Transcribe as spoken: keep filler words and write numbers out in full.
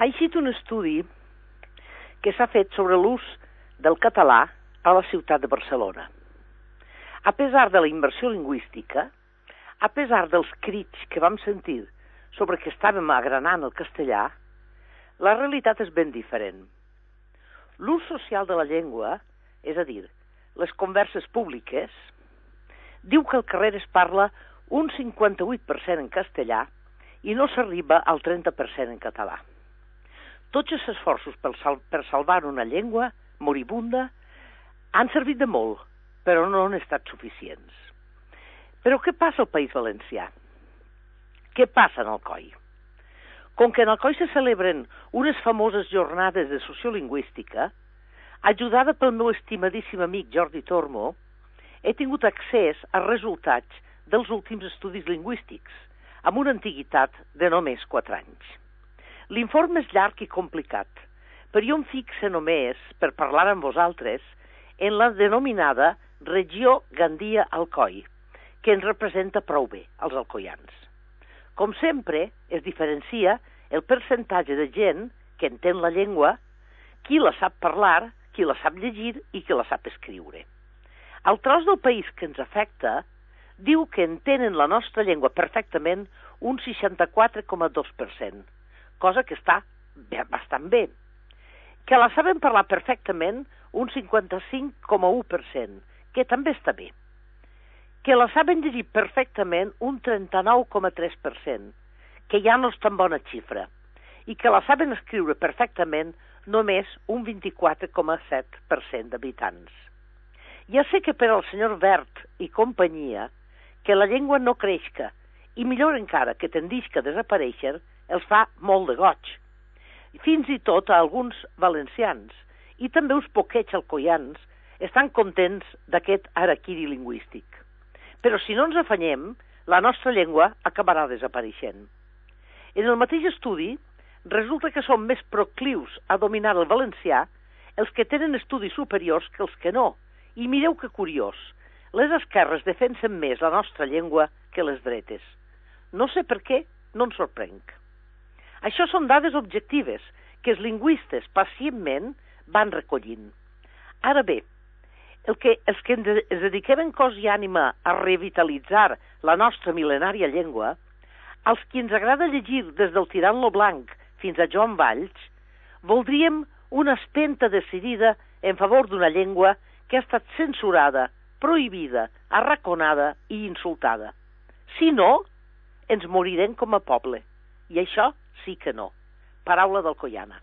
Ha eixit un estudi que s'ha fet sobre l'ús del català a la ciutat de Barcelona. A pesar de la immersió lingüística, a pesar dels crits que vam sentir sobre que estàvem agranant el castellà, la realitat és ben diferent. L'ús social de la llengua, és a dir, les converses públiques, diu que al carrer es parla un cinquanta-vuit per cent en castellà i no s'arriba al trenta per cent en català. Tots els esforços per, sal per salvar una llengua moribunda han servit de molt, però no han estat suficients. Però què passa al País Valencià? Què passa en Alcoi? Com que en Alcoi se celebren unes famoses jornades de sociolingüística, ajudada pel meu estimadíssim amic Jordi Tormo, he tingut accés als resultats dels últims estudis lingüístics, amb una antiguitat de només quatre anys. L'informe és llarg i complicat, però jo em fixe només, per parlar amb vosaltres, en la denominada regió Gandia-Alcoi, que ens representa prou bé, els alcoians. Com sempre, es diferencia el percentatge de gent que entén la llengua, qui la sap parlar, qui la sap llegir i qui la sap escriure. El tros del país que ens afecta diu que entenen la nostra llengua perfectament un seixanta-quatre coma dos per cent, cosa que està bastant bé. Que la saben parlar perfectament un cinquanta-cinc coma u per cent, que també està bé. Que la saben llegir perfectament un trenta-nou coma tres per cent, que ja no és tan bona xifra, i que la saben escriure perfectament només un vint-i-quatre coma set per cent d'habitants. Ja sé que per al senyor Wert i companyia, que la llengua no creixca, i millor encara que tendisca a desaparèixer, els fa molt de goig. Fins i tot a alguns valencians, i també uns poquets alcoians, estan contents d'aquest araquiri lingüístic. Però si no ens afanyem, la nostra llengua acabarà desapareixent. En el mateix estudi, resulta que són més proclius a dominar el valencià els que tenen estudis superiors que els que no. I mireu que curiós, les esquerres defensen més la nostra llengua que les dretes. No sé per què, no ens sorprenc. Això són dades objectives que els lingüistes pacientment van recollint. Ara bé, el que, els que ens dediquem en cos i ànima a revitalitzar la nostra mil·lenària llengua, als qui ens agrada llegir des del Tirant-lo Blanc fins a Joan Valls, voldríem una espenta decidida en favor d'una llengua que ha estat censurada, prohibida, arraconada i insultada. Si no, ens morirem com a poble. I això sí que no. Paraula d'alcoiana.